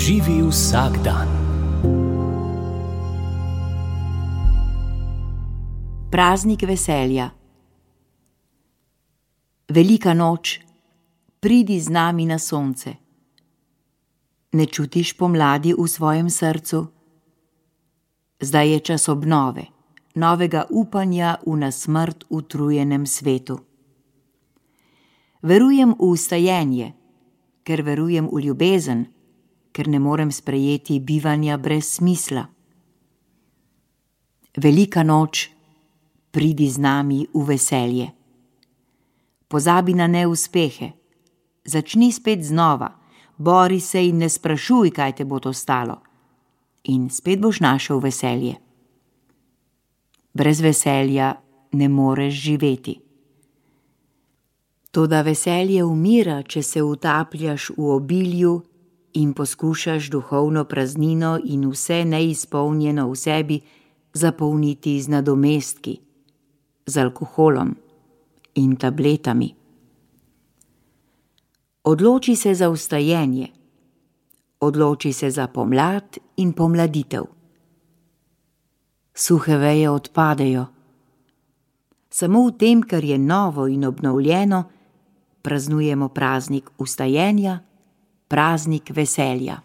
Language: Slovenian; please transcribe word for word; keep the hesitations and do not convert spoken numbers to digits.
Živi vsak dan. Praznik veselja. Velika noč, pridi z nami na sonce. Ne čutiš pomladi v svojem srcu? Zdaj je čas obnove, novega upanja v na smrt utrujenem svetu. Verujem v vstajenje, ker verujem v ljubezen, ker ne morem sprejeti bivanja brez smisla. Velika noč, pridi z nami v veselje. Pozabi na neuspehe, začni spet znova, bori se in ne sprašuj, kaj te bo to stalo. In spet boš našel veselje. Brez veselja ne moreš živeti. Toda veselje umira, če se utapljaš v obilju in poskušaš duhovno praznino in vse neizpolnjeno v sebi zapolniti z nadomestki, z alkoholom in tabletami. Odloči se za vstajenje, odloči se za pomlad in pomladitev. Suhe veje odpadejo. Samo v tem, kar je novo in obnovljeno, praznujemo praznik vstajenja, praznik veselja.